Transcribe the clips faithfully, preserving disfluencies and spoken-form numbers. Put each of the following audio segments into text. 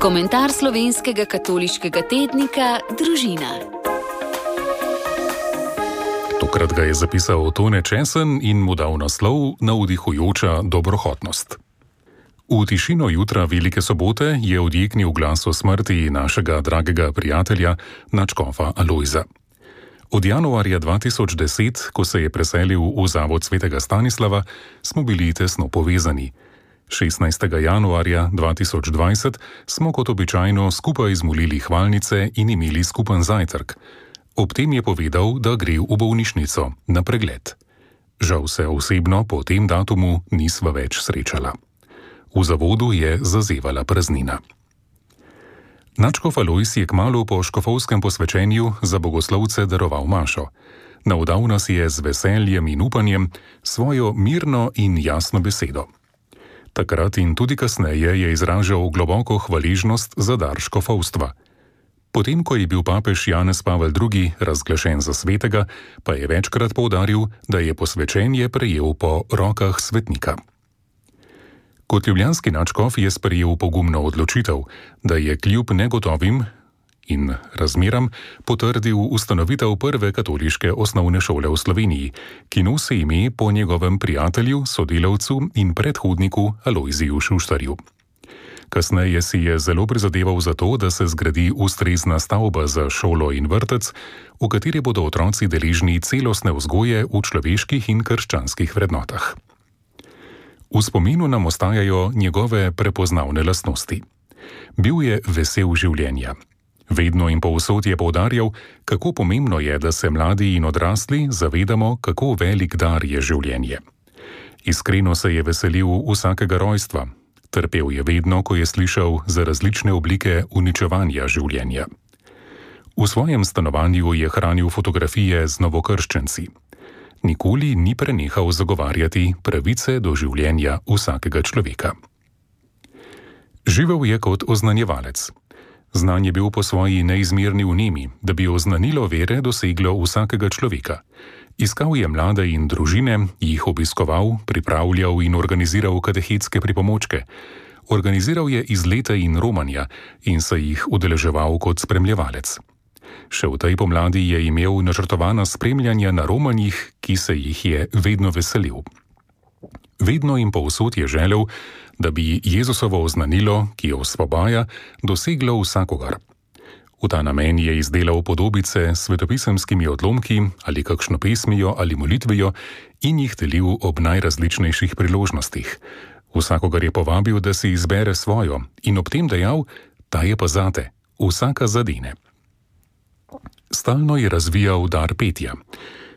Komentar slovenskega katoliškega tednika Družina. Tokrat ga je zapisal Tone Česen in mu dal naslov Navdihujoča dobrohotnost. V tišino jutra Velike sobote je odjeknil glas o smrti našega dragega prijatelja, nadškofa Alojza. Od januarja dva tisoč deset, ko se je preselil v zavod svetega Stanislava, smo bili tesno povezani. šestnajstega januarja dva tisoč dvajset smo kot običajno skupaj zmolili hvalnice in imeli skupen zajtrk. Ob tem je povedal, da gre v bolnišnico na pregled. Žal se osebno po tem datumu nisva več srečala. V zavodu je zazevala praznina. Nadškof Alojz je kmalu po škofovskem posvečenju za bogoslovce daroval mašo. Navdal nas je z veseljem in upanjem svojo mirno in jasno besedo. Takrat in tudi kasneje je izražal globoko hvaležnost za dar škofovstva. Potem, ko je bil papež Janez Pavel drugi razglašen za svetega, pa je večkrat poudaril, da je posvečenje prejel po rokah svetnika. Kot ljubljanski nadškof je sprejel pogumno odločitev, da je kljub negotovim in razmeram potrdil ustanovitev prve katoliške osnovne šole v Sloveniji, ki nosi ime po njegovem prijatelju, sodelavcu in predhodniku Alojziju Šuštarju. Kasneje si je zelo prizadeval za to, da se zgradi ustrezna stavba za šolo in vrtec, v kateri bodo otroci deležni celostne vzgoje v človeških in krščanskih vrednotah. V spominu nam ostajajo njegove prepoznavne lastnosti. Bil je vesel življenja. Vedno in povsod je poudarjal, kako pomembno je, da se mladi in odrasli zavedamo, kako velik dar je življenje. Iskreno se je veselil vsakega rojstva. Trpel je vedno, ko je slišal za različne oblike uničevanja življenja. V svojem stanovanju je hranil fotografije z novokrščenci. Nikoli ni prenehal zagovarjati pravice do življenja vsakega človeka. Živel je kot oznanjevalec. Znan je bil po svoji neizmerni vnemi, da bi oznanilo vere doseglo vsakega človeka. Iskal je mlade in družine, jih obiskoval, pripravljal in organiziral katehetske pripomočke. Organiziral je izlete in romanja in se jih udeleževal kot spremljevalec. Še v tej pomladi je imel načrtovana spremljanja na romanjih, ki se jih je vedno veselil. Vedno in povsod je želel, da bi Jezusovo oznanilo, ki jo osvobaja, doseglo vsakogar. V ta namen je izdelal podobice s svetopisemskimi odlomki ali kakšno pesmijo ali molitvijo in jih delil ob najrazličnejših priložnostih. Vsakogar je povabil, da si izbere svojo in ob tem dejal, ta je pa zate, vsaka zadene. Stalno je razvijal dar petja.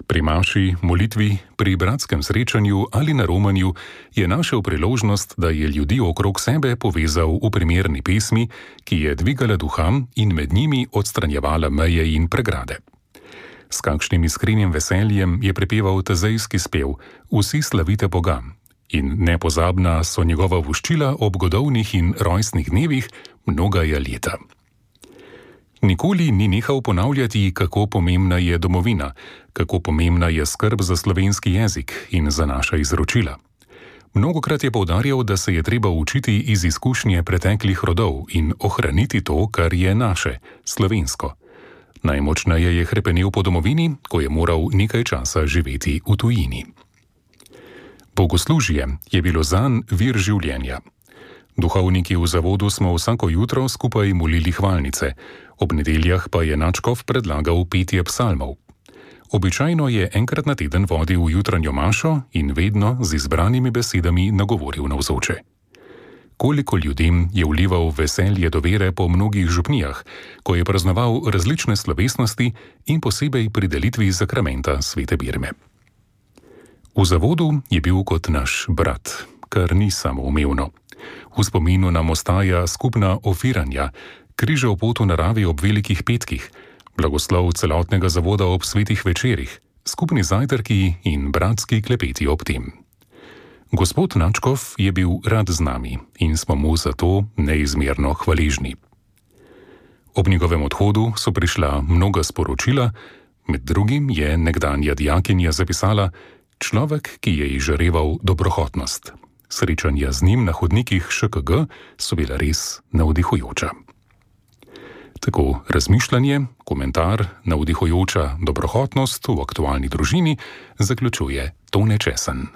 Pri maši, molitvi, pri bratskem srečanju ali na romanju je našel priložnost, da je ljudi okrog sebe povezal v primerni pesmi, ki je dvigala duha in med njimi odstranjevala meje in pregrade. S kakšnim iskrenim veseljem je prepeval tezejski spev Vsi slavite Boga in nepozabna so njegova voščila ob godovnih in rojstnih dnevih mnogaja leta. Nikoli ni nehal ponavljati, kako pomembna je domovina, kako pomembna je skrb za slovenski jezik in za naša izročila. Mnogokrat je poudarjal, da se je treba učiti iz izkušnje preteklih rodov in ohraniti to, kar je naše, slovensko. Najmočneje je hrepenel po domovini, ko je moral nekaj časa živeti v tujini. Bogoslužje je bilo zanj vir življenja. Duhovniki v zavodu smo vsako jutro skupaj molili hvalnice, ob nedeljah pa je nadškof predlagal petje psalmov. Običajno je enkrat na teden vodil jutranjo mašo in vedno z izbranimi besedami nagovoril navzoče. Koliko ljudem je vlival veselje do vere po mnogih župnijah, ko je praznoval različne slovesnosti in posebej pri delitvi zakramenta svete birme. V zavodu je bil kot naš brat, kar ni samoumevno. V spominu nam ostaja skupna ofiranja, križev pot v naravi ob velikih petkih, blagoslov celotnega zavoda ob svetih večerih, skupni zajtrki in bratski klepeti ob tem. Gospod nadškof je bil rad z nami in smo mu za to neizmerno hvaležni. Ob njegovem odhodu so prišla mnoga sporočila, med drugim je nekdanja dijakinja zapisala: človek, ki je izžareval dobrohotnost. Srečanja z njim na hodnikih Š K G so bila res navdihujoča. Tako razmišljanje, komentar, navdihujoča dobrohotnost v aktualni družini zaključuje Tone Česen.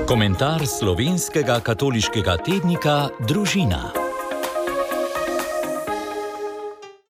Komentar slovenskega katoliškega tednika Družina.